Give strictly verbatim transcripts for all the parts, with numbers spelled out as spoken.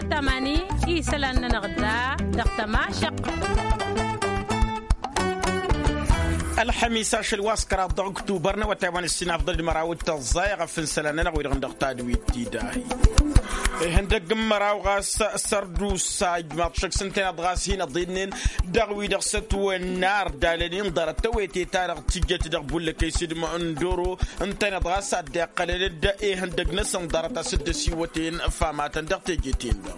Tămani isălan-nănăɣ da dăɣ-tămašăq. Ălxămis ašăl wa s-kăraḍ dăɣ-ăktubăr n-awătay wa n-ǝssin afḍăl d-măraw d-tăẓẓay ɣăf n-isălan-nănăɣ wi-dăɣ n-dăɣ tadwit ti dahi. Ihăndăgg n-măraw ɣas sărdusa ijmaḍ šăkk s-ǝntăneḍ ɣas hin-ăḍinnen dăɣ-wi-dăɣ s-ătwănna ărdalăn-in ḍarăt tawăyte-ta-dăɣ tǝjjăt dăɣ-bullăkăy s-dd-măndoro ǝntăneḍ ɣas a dd-iqqălăn-dd ihăndăgg-năsăn ḍarăt a-s dd-ăsiwăten famatăn dăɣ-teje-ten-dăɣ.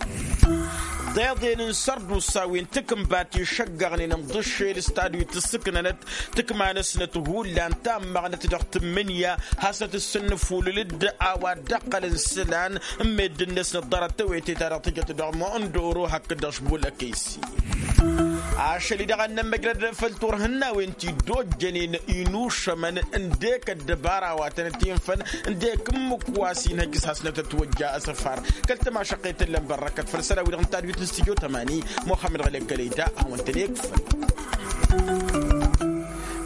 Ḍeḍen n-sărdusa wi n-takǝnbat išăggăɣnen ǝnḍǝššel s-tadwit ǝssǝknănăt tǝkma-năsnăt hullan tammăɣnăt dăɣ-tǝmmǝnǝya hasăt-ǝssǝnnǝfulǝl-dd a-wa dd-ăqqălăn isălan n-meddǝn-năsnăt ḍarăt tawăyte-ta-dăɣ tǝjăt dăɣ-măndoro hakd-dăɣ-š bulăkăy-s. Ašăl-i-dăɣ a n-nămmăjrăd făll-turhǝnnawen ti dd-ojjănen inušămăn ǝndek ăddăbara wa tăn-ătinfăn ǝndek ǝmmǝk wa s-inhăj s-hasnăt ătwăjja asăfar. Kăl-tămašăqqet n-lămbărrăkăt făll-isălan-wi-dăɣ n-tadwit n-stujo tămani muxămmăd ɣălek kălăyta a-wen-tăn-ikfăn.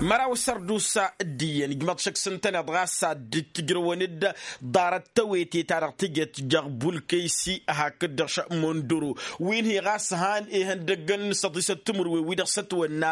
Măraw sărdusa d-iyyăn ijmăḍ šăkk s-ǝntăneḍ ɣas ad-dd-tǝjrăwăn-dd ḍarăt tawete-ta-dăɣ tǝjăt dăɣ-bulkăysi hakd-dăɣ šămunduru wi n-hi ɣas han ihăndăggăn n-săḍisăt timǝrwen wi-dăɣ s-ătwănna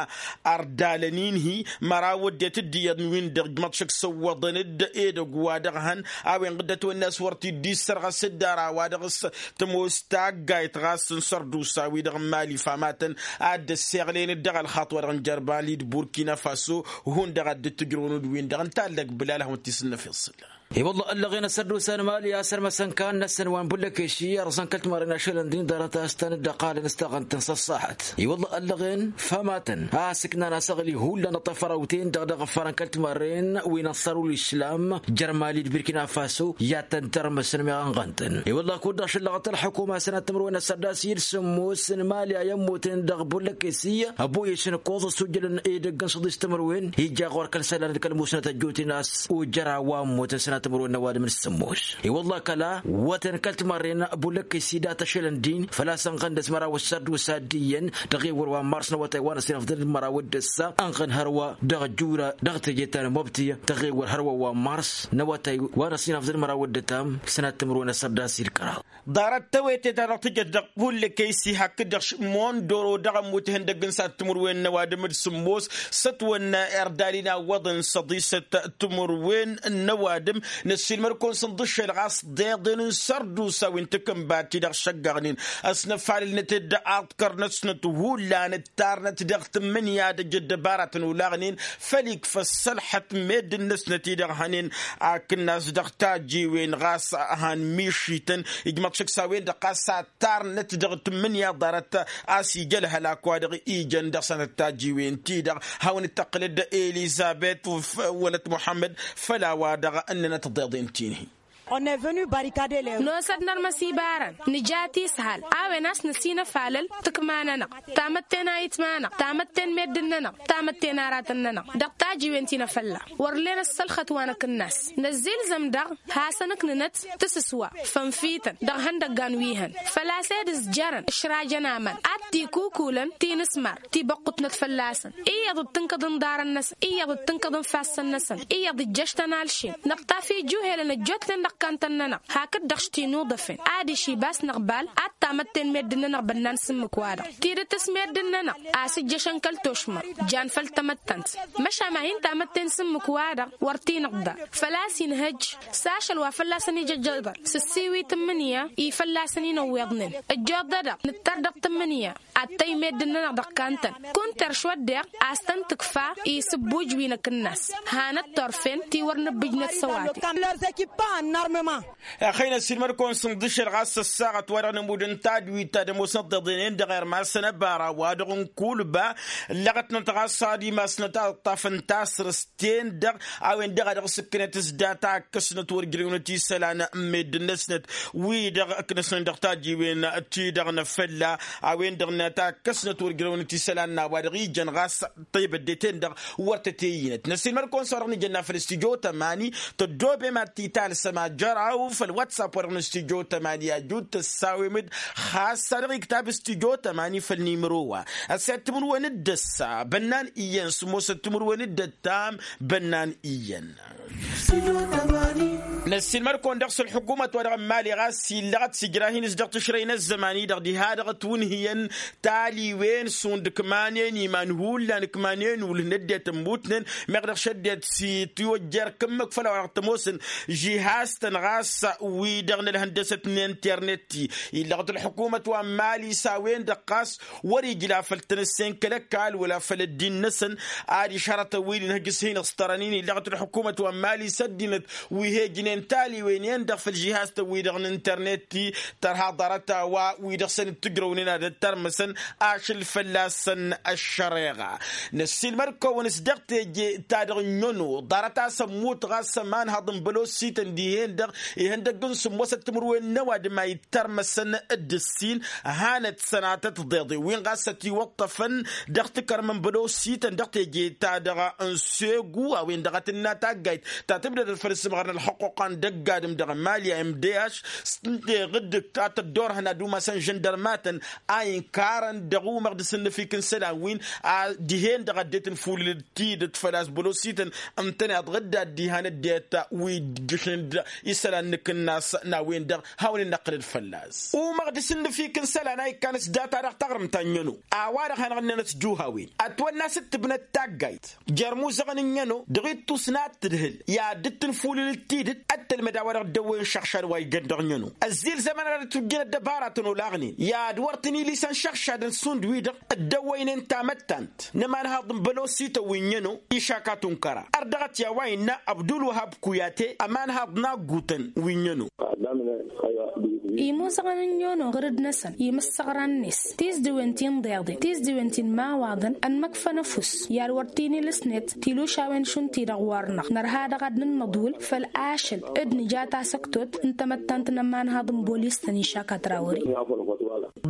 ărdalăn-in-hi măraw ăddinăt d-iyyăḍ wi n-dăɣ ǝjmăḍ šăkk săwwăḍăn-dd edăgg wa dăɣ-hăn a-wen dd-ătwănna a-s wăr t-dd-issărɣăs dd-ara wa dăɣ-s tămoos taggayt ɣas n-sărdusa wi-dăɣ n-mali famatăn ad-dd-ăssiɣlen-dd dăɣ-ălxaṭ wa dăɣ-n jărban d-burkina faso hundăɣ ad-dd-tǝjrăwăn-dd wi n-dăɣ n-tallăg bǝlal hawăn-t-isǝnnăf iṣǝlla. I-wălla ăllăɣen ăssărdusa n-mali a sărmăsăn kan-năsăn wa n-bullăkesi ărẓăn kăl-timarren ašălăn din ḍarăt a-s tăn-dd-ăqqalăn s-taɣănt n-săṣṣaḥăt. I-wălla ăllăɣen famatăn a ăssǝknan asăɣli hullan ăṭṭăfărawten-dăɣ dăɣ-ăffarăn kăl-timarren wi n-ănṣărul islam jer-mali d-birkina faso i-ad-tăn-tărmǝsăn meɣ ănɣăn-tăn. I-wălla kud-dăɣ šăllăɣăt ălḥukuma sănat timǝrwen ăssărdas i-dd sǝmmos n-mali a i-ămmuten dăɣ-bullăkesi ăboyăs n-ǝkkoẓ ăssujjălăn edăgg n-săḍis timǝrwen ija ɣur-kăl-isălan d-kăl-musnăt ăjjootnen a-s ojăr a-wa ămmutăn sănatămăr wănnăn ăwadǝm n-sǝmmos. I-wălla kăla wăten kăl-timărren bulăkkăy s-idat ašălăn din făl-a-s ănɣăn dăɣ-s măraw ăssărdusa d-iyyăn dăɣ-ewăr wa n-mars n-awătay wa n-ăsinăfḍăn d-măraw d-ăssa ănɣăn hărwa dăɣ-jura dăɣ-teje ta n-mobti. Dăɣ-ewăr hărwa wa n-mars n-awătay wa n-ăsinăfḍăn d-măraw d-ătam sănatămăr wănnăn ăssărdas i-ǝlkăraḍ. Ḍarăt tawete ta dăɣ-tǝjăt dăɣ-hulli kăy-s ihakk-dd dăɣ-š mondoro dăɣ-ămmut ihăndăgg n-sat timǝrwen n-ăwadǝm d-sǝmmos s-ătwănna irdalin awwăḍăn săḍisăt timǝrwen n-ăwadǝm. Năssiilmăr-kăwăn s-ǝnḍǝššel ɣas ḍeḍen n-sărdusa wi n-takǝnbat-ti-dăɣ šăggăɣnen ăsnăfalălnăt-dd aḍkăr-năsnăt hullan ǝttarnăt dăɣ-tǝmmǝnǝya d-ăjj ăddăbaratăn olaɣnen făl-ikf ăssălxăt meddǝn-năsnăt-i-dăɣ hănen. Akǝnnas dăɣ-tajjiwen ɣas han mišităn ijmăḍ šăkk s-a-wen-dăɣ ɣas ad-tarnăt dăɣ-tǝmmǝnǝya ḍarăt a-s ija ălhălak wa dăɣ-ijăn dăɣ-sănăt tajjiwen-ti-dăɣ. Hawăn-dd-tăqqǝlăd elizabet wălăt muḥămmăd făll-a-wa dăɣ-ǝnnănăt ḍeḍen ti-hi. Nosăd nărmăs ibarăn nǝja tisăhal a-wen a-s năsinăfalăl tǝkma-nănăɣ tamătte n-ayǝtma-năɣ tamătte n-meddǝn-nănăɣ tamătte n-aratăn-nănăɣ dăɣ-tajiwen ti n-afălla. Wăr len ăssălxăt wa n-akǝnnas năzzilzăm-dăɣ hasăn-ǝknǝnăt tǝsǝswa fănfităn dăɣ-ihăndăggan wi hăn făl-a-s ed ǝzjărăn ǝšrajăn aman ad-t-ikukulăn tinǝsmar tibăqqutnăt fălla-săn. Iyyăḍ d-tǝnkăḍ n-iḍarăn-năsăn iyyăḍ d-tǝnkăḍ n-ifassăn-năsăn iyyăḍ ǝjjăš-tăn alšin năṭṭaf ijuhelăn ăjjootnen dăɣ-kantăn-nănăɣ hakd-dăɣ š-tinuḍăfen adiš ibas n-aɣbal ad-tamătte n-meddǝn-nănăɣ bănnan s-ǝmmǝk-wa-dăɣ tidǝt s-meddǝn-nănăɣ a-s ǝjjăšăn kăl-tošma jan făll-tamăttănt. Măšan ma hin-tamătte n-sǝmmǝk-wa-dăɣ wăr t-inǝḍḍa făl-a-s inhăjj s-ašăl wa fălla-săn ija ăjjăḍăr s-ǝssiwǝy tǝmmǝnǝya i-fălla-săn inăwweḍnen ăjjoḍădăɣ nǝttăr dăɣ-tǝmmǝnǝya ad-tăyy meddǝn-nănăɣ dăɣ-kantăn. Kunter šwăddeɣ a-s tăn-tǝkfa isǝbbuj wi n-akǝnnas hanăt-turfen ti wăr nǝbbǝjnăt s-ăwadǝm. Ăxăynăs-in măd-kăwăn-sǝnḍǝšăl ɣas ăssaɣăt wa dăɣ-nămud n-tadwit ta d-ămoosnăt tiḍenen dăɣ-irmasăn ăbara wa dăɣ-nǝkulba ǝllăɣătnăt ɣas ad-imasnăt a ǝṭṭafăn tasrǝst ten-dăɣ a-wen-dăɣ a dăɣ-s ǝkkǝnăt s-data ǝkkăsnăt wăr ǝjrăwnăt isălan n-meddǝn-năsnăt wi-dăɣ ǝknăsnen dăɣ-tajiwen-ti-dăɣ n-afălla. A-wen-dăɣ năta ǝkkăsnăt wăr ǝjrăwnăt isălan n-a-wa dăɣ-ijăn ɣas tăybădde-ten-dăɣ wăr tăt-e-inăt năsiilmăd-kăwăn s-wa dăɣ-nǝjănna făll-studyo tămani tăddoobem ad-t-italsăm ajăraw făll-whatsapp wa dăɣ-nǝstudyo tămani ajut tăssawem-dd ɣas a dăɣ-iktab studyo tămani făll-nimăro wa ăssiyat timǝrwen d-ăssa bănnan iyyăn sǝmmosăt timǝrwen d-ăttam bănnan iyyăn. Năssiilmăd-kăwăn dăɣ-s ălḥukumăt-wa-dăɣ n-imali ɣas illăɣăt s-ijrahin-s dăɣ-tǝšrăy n-ăzzăman-i-dăɣ diha-dăɣ ătwǝnhǝyăn taliwen šund ǝkmanen iman hullan ǝkmanen ulh n-ăddinăt ămmutnen meɣ dăɣ-s ăddinăt s-itwăjja erk ǝmmǝk făll-a-wa-dăɣ tămoosăn žihaz-tăn ɣas wi-dăɣ n-ălhăndăsăt n-internet-i. Illăɣăt ălḥukumăt wa n-mali s-a-wen-dăɣ ɣas wăr-ijla făll-tinǝssen kăl-ăkall wăla făll-ăddin-năsăn ad-išărătăn wi-dăɣ n-ihăjj s-hin-iṣtărăn-in illăɣăt ălḥukumăt wa n-mali s-ăddinăt wi he-ǝjnen taliwen-en-dăɣ făll-žihaz-tăn-wi-dăɣ n-internet-i. Tărha ḍarăt-a-wa wi dăɣ-săn dd-tǝjrăwnen ad-ăttărmăsăn ašăl fălla-săn ăššăreɣa. Năssiilmăd-kăwăn s-dăɣ teje-ta-dăɣ n-ăno ḍarăt a-s ămmut ɣas ămanhăḍ n-bălosităn dihen-dăɣ ihăndăgg n-sǝmmosăt timǝrwen n-ăwadǝm a ittărmăsăn d-ǝssin hanăt-sănatăt tiḍeḍen-win ɣas ătiwăṭṭăfăn dăɣ-tikărmăn bălosităn dăɣ-teje-ta-dăɣ n-segu a-wen-dăɣ a tǝnna taggayt ta tǝbdădăt făll-ǝssǝmɣăr n-ălxăqquqa n-dăgg-adǝm dăɣ-mali a mdh s-tǝnteɣ dd-ǝktatăt d-orhăn ad-umasăn žăndărmatăn a inkarăn dăɣ-umăɣ d-asǝnnǝfik n-isălan-win a dihen-dăɣ ăddinăt n-fulǝl d-tidǝt făl-a-s bălosităn ǝntăneḍ ɣǝdda dd-ihan ăddinăt wi ǝjjǝšnen d-isălan n-akǝnnas n-a-wen-dăɣ hawăn-in-năqqǝlăd fălla-s umăɣ d-asǝnnǝfik n-isălan a ikkan s-data-dăɣ taɣrǝmt ta n-ăno a-wa-dăɣ hanăɣ-ǝnnănăt s-juhawen ătwănna s-dd-tǝbnăt taggayt jer-imuzăɣăn n-ăno dăɣ-ittus n-ad-tǝdhǝl i-ad-dd-tǝnfulǝl d-tidǝt ăttălmăd a-wa-dăɣ dd-ăwwăyăn šăɣšad wa ijăn dăɣ-năno ăzzilzămăn ad-ătwǝjjăn ăddăbara tănolăɣnen i-ad-wăr tăn-ilisăn šăɣšadăn šund wi-dăɣ dd-ăwwăynen tamăttant n-ămanhăḍ n-bălosităn wi n-ăno išakatun kăra ărdăɣăt i-a-wa innă abdulwăhab kuyate ămanhăḍ n-aggutăn wi n-ăno. Imuzăɣăn n-ăno ɣǝr-dd-năsăn imǝssăɣran-net tizdǝwen ti n-iḍeḍen tizdǝwen ti n-imawaḍăn ănmăkfăn ăfuss i-ad-wăr t-inǝlǝsnet tilušawen šund-ti-dăɣ wăr-năɣ nărha dăɣ-ad-nǝnnăḍwǝl făll-ašăl d-nǝja tasăktot n-tamăttant n-ămanhăḍ n-bolis-tăn išak a trawări.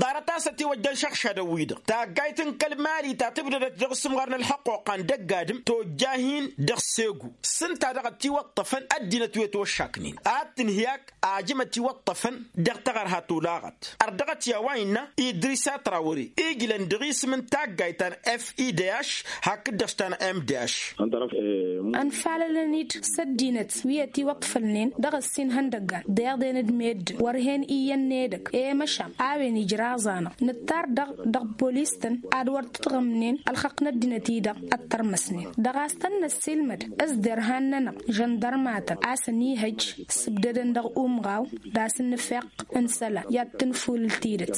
Ḍarăt a-s ătiwăjjăn šăɣšadăn-wi-dăɣ taggayt n-kăl-mali ta tǝbdădăt dăɣ-asǝmɣar n-ălxăqquqa n-dăgg-adǝm tojja hin-dăɣ segu s-ǝnta-dăɣ ătiwăṭṭăfăn ăddinăt wi ătwăššaknen ad-tǝnhǝy ak ajăm ătiwăṭṭăfăn dăɣ-taɣărha tolaɣăt ărdăɣăt i-a-wa innă idris atrawări ijlăn dăɣ-isǝm n-taggayt ta n-f i d h hakd-dăɣ s-ta n-m d h. Ănfalălăn-dd s-ăddinăt wi ătiwăṭṭfălnen dăɣ-ăssin ihăndăggan d-iḍen d-meddǝn wăr hen iyyăn n-edăgg i-măšan a-wen ijraẓ-anăɣ nǝttar-dăɣ dăɣ-polis-tăn ad-wăr tǝtɣǝmnen ălxăqq n-ăddinăt-i-dăɣ ăttărmăsnen dăɣ-a-s tăn-năssiilmăd s-derhan-nănăɣ žăndărmatăn a-s ănihăjj s-ǝbdădăn dăɣ-umɣaw d-asǝnnǝfeɣ n-isălan i-ad-tǝnfulǝl tidǝt.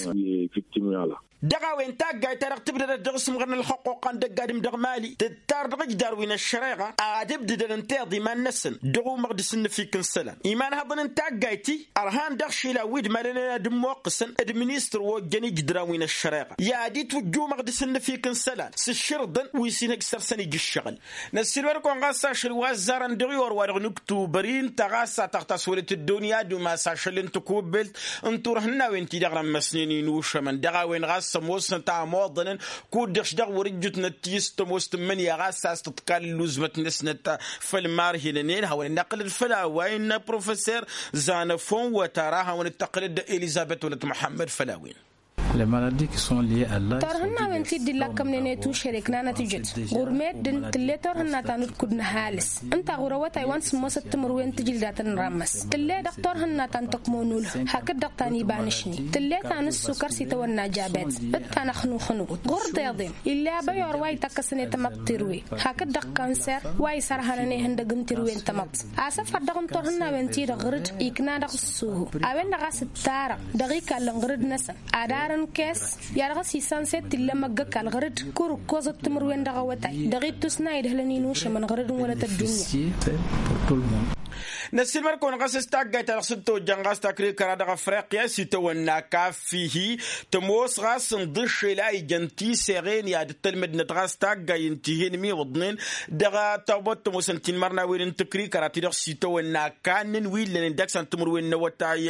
Dăɣ-a-wen taggayt-ta-dăɣ tǝbdădăt dăɣ-asǝmɣăr n-ălxăqquqa n-dăgg-adǝm dăɣ-mali tǝttar dăɣ-ǝjdar wi n-ăššăreɣa ad-ǝbdǝdăn ǝnta iḍa iman-năsăn dăɣ-umăɣ d-asǝnnǝfik n-isălan imanhăḍăn n-taggayt-i ărhan dăɣ-išilan wi d-malănen ad-ǝmmoqqǝsăn d-ministăr wa ojjăn ijǝdran wi n-ăššăreɣa i-ad-itwǝjj umăɣ d-asǝnnǝfik n-isălan s-ǝššǝrǝḍăn wi s-inhăj săr-săn ija ǝššăɣǝl. Năssiilmăd-kăwăn ɣas ašăl wa ăzzarăn dăɣ-i orwa-dăɣ n-uktubăr-i ǝnta ɣas a tăɣtas wăla tǝddǝwăn i-ad-umas ašăl n-tǝkubbelt n-turhǝnnawen-ti-dăɣ rămmăsnen inušămăn dăɣ-a-wen ɣas ămoosnăt a ămoḍănăn kud-dăɣ-š dăɣ-wăr-ǝjjǝtnăt tiyǝs tămoos tǝmmǝnǝya ɣas a-s tǝḍkal ǝlluzmăt-năsnăt făll-imarhinănen hawăn-in-năqqǝlăd făll-a-wa innă professor zanăfon wătara hawăn-dd-tăqqǝlăd elizăbet wălăt muḥămmăd făll-a-wen. Turhǝnnawen ti dd-illakkămnen i-tušăre ǝknanăt ǝjăt ɣur-meddǝn tǝlle turhǝnna ta n-ǝdkud n-ăhalǝs ǝnta ɣur-awătay wa n-sǝmmosăt timǝrwen tǝjǝldat n-ramăs tǝlle dăɣ-turhǝnna ta n-tăkmonulh hakd-dăɣ ta n-ibanǝšni tǝlle ta n-ǝssukăr s-itawănna jabet d-tanăxnuxnut ɣur-deḍen ill'-e abăyor wa ităkkăsăn i-tamăḍt tirwe hakd-dăɣ kanser wa isărhănăn ihăndăg n-tirwe n-tamăḍt asăfăr dăɣ-n-turhǝnnawen-ti-dăɣ ɣǝr-dd ikna dăɣ-ǝssuhu a-wen-dăɣ a-s ǝttarăɣ dăɣ-ikallăn ɣǝr-dd-năsăn ad-arǝnkes i-ad-dăɣ-s isănset tilla măggăkall ɣǝr-dd kur ǝkkoẓăt timǝrwen dăɣ-awătay dăɣ-ittus n-a idhǝlăn inušămăn ɣǝr-dd n-wălăt ăddunya. Năssiilmăd-kăwăn ɣas s-taggayt ta dăɣ-s dd-tojjăn ɣas takrikăra dăɣ-afriqya s-itawănna kaffihi tămoos ɣas n-iḍǝššel a ijăn tiseɣen i-ad-dd-tălmădnăt ɣas taggay n-tihen imiwǝḍnen dăɣ-tăbot tămoosăn tinmărnawen n-takrikăra ti-dăɣ s-itawănna kannăn wi ǝllănen dăɣ-san timǝrwen n-awătay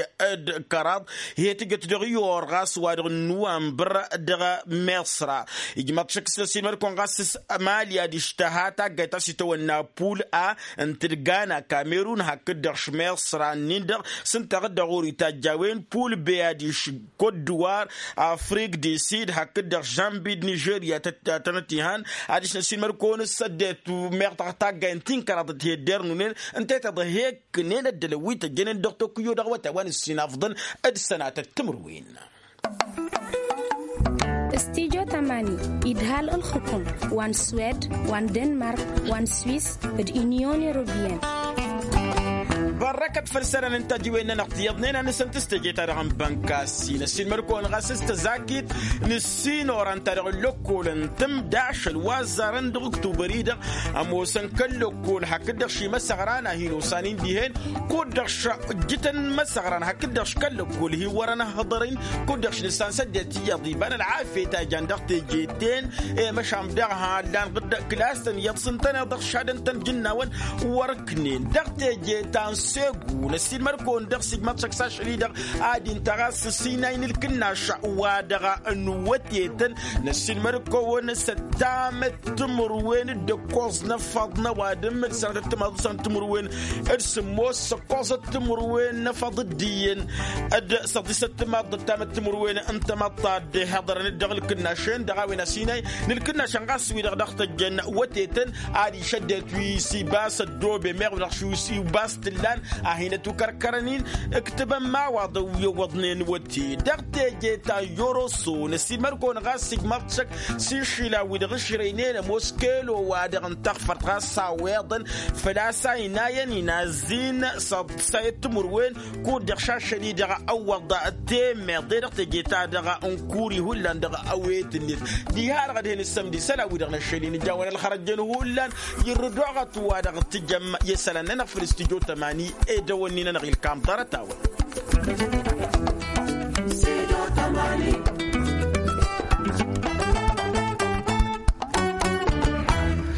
d-kăraḍ. He-tǝjăt dăɣ-i or ɣas wa dăɣ-nuwambăr dăɣ-meṣra ijmaḍ šăkk s-năsiilmăd-kăwăn ɣas s-mali ad-ǝštăha taggayt ta s-itawănna pul a n-tǝdgana kamerun. hakd-dăɣ šmeḍ săra-nin-dăɣ s-ǝnta a dăɣ-ori tajj a-wen pul beyadiš, kot-dǝwar, afrik di sid hakd-dăɣ žambid nižerya tăt-tănăt ihan. Adiš n-ăssiilmăd-kăwăn s-săddet meɣ taggay n-ti n-kăraḍăt hi-ăddinăr n-unen ǝnta i-tiḍa hi-ǝknen ăddălăn wi tăjjănen dăɣ-tokyo dăɣ-awătay wa n-ǝssin afḍăn d-sănatăt timǝrwen. Studyo tamani idhal ǝlxǝkum wa n-swed wa n-denmark wa n-swis d-inyon europiyăn. Bărrăkăt făll-isălan n-tajiwen-nănăɣ tiyyăḍnen a nǝsǝnt s-teje-ta-dăɣ n-bănka s-inăssin mălkăwăn ɣas s-tăzakit n-ǝssin oran-ta-dăɣ n-lăkkol n-tǝmdašăl wa ăzzarăn dăɣ-ǝktubăr-i-dăɣ ămoosăn kăl-lăkkol hakd-dăɣ šimăsăɣran a hin-osanin dihen. Kud-dăɣ š-ǝjjǝtăn imăsăɣran hakd-dăɣ š-kăl-lăkkol hi-wărăn ăhhăḍăr-in. Kud-dăɣ š-nǝssan s-ăddinăt iyyăḍ iba n-ălɣafyăt a jan dăɣ-teje-ten. I-măšan daɣ hallan ɣǝddăɣ kǝlas-tăn iyyăḍ s-ǝntăneḍ dăɣ-šadăn-tăn jǝnnawăn wăr-ǝknen dăɣ-teje ta n-segu. Năssiilmăd-kăwăn dăɣ-s ijmăḍ šăkk s-ašăl-i-dăɣ ad-intăɣ a-s s-inay n-ǝlkǝnnaš wa dăɣ-ănwătetăn. Năssiilmăd-kăwăn s-ăttamăt timǝrwen d-ǝkkoẓ n-ăffaḍ n-ăwadǝm d-sănatăt timaḍ d-sănatăt timǝrwen d-sǝmmos s-ǝkkoẓăt timǝrwen n-ăfăḍ d-iyyăn d-săḍisăt timaḍ d-ăttamăt timǝrwen n-tamăḍt ta dd-ihăḍărăn-dd dăɣ-ǝlkǝnnašen dăɣ-a-wen ăsinay n-ǝlkǝnnašăn ɣas wi-dăɣ dăɣ-tăjjăn wătetăn. Ad-išăddet wi s-ibas ăddobe meɣ wi-dăɣ š-ibas t-ǝllan a hin-ătukărkărăn-in. Ǝktǝbăn imawaḍăn wi ăwwăḍnen wăte dăɣ-teje ta n-yoroso năssiilmăd-kăwăn ɣas ijmaḍ šăkk s-išila wi-dăɣ ǝšrăynen ămoos kăyălo-wa-dăɣ n-taɣfărt ɣas a-weḍăn făl-a-s a inayăn-in a ăzzin s-ăḍsayăt timǝrwen. Kud-dăɣ šašăl-i-dăɣ ăwwăḍ temmeḍ-e dăɣ-teje-ta-dăɣ n-kuri hullan dăɣ-awet-net. Diha-dăɣ ad-hen-ǝssămd isălan-wi-dăɣ n-ašăl-in ǝjawăn ălxărăjjăn hullan. Irrǝd oɣăt wa dăɣ-tǝjăm i-isălan-nănăɣ făll-studyo tămani edăwănni-nănăɣ ilkam ḍarăt-awăn.